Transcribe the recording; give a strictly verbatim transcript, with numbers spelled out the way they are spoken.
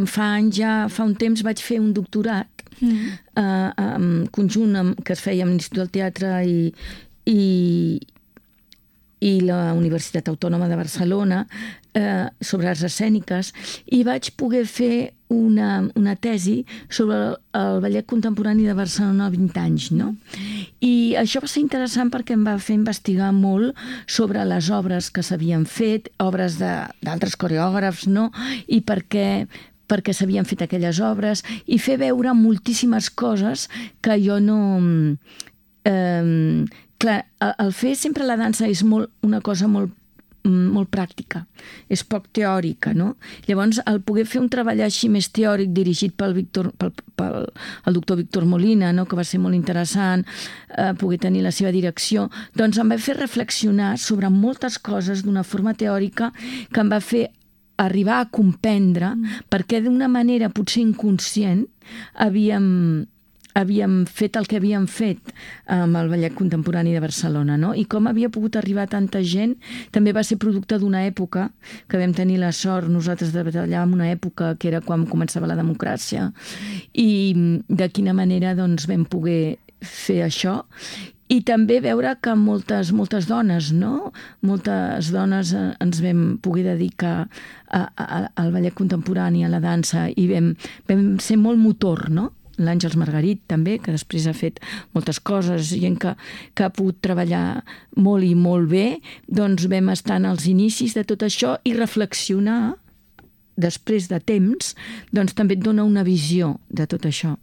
fa anys ja, fa un temps vaig fer un doctorat mm. eh, en conjunt amb, que es feia amb l'Institut del Teatre i, i, i la Universitat Autònoma de Barcelona eh, sobre arts escèniques, i vaig poder fer una, una tesi sobre el, el ballet contemporani de Barcelona a vint anys, no? I això va ser interessant perquè em va fer investigar molt sobre les obres que s'havien fet, obres d'altres coreògrafs, no? I per què perquè s'havien fet aquelles obres, i fer veure moltíssimes coses que jo no... Eh, clar, el fer sempre la dansa és molt, una cosa molt molt pràctica, és poc teòrica, no? Llavors, el poder fer un treball així més teòric dirigit pel, Víctor, pel, pel el doctor Víctor Molina, no? Que va ser molt interessant, eh, poder tenir la seva direcció, doncs em va fer reflexionar sobre moltes coses d'una forma teòrica que em va fer arribar a comprendre mm. perquè d'una manera potser inconscient havíem havíem fet el que havíem fet amb el ballet contemporani de Barcelona, no? I com havia pogut arribar tanta gent també va ser producte d'una època que vam tenir la sort nosaltres de treballar en una època que era quan començava la democràcia, i de quina manera doncs vam poder fer això. I també veure que moltes, moltes dones, no? Moltes dones ens vam poder dedicar a, a, al ballet contemporani, a la dansa, i vam, vam ser molt motor, no? L'Àngels Margarit també, que després ha fet moltes coses, gent que, que ha pogut treballar molt i molt bé, doncs vam estar en els inicis de tot això i reflexionar després de temps, doncs també et dona una visió de tot això.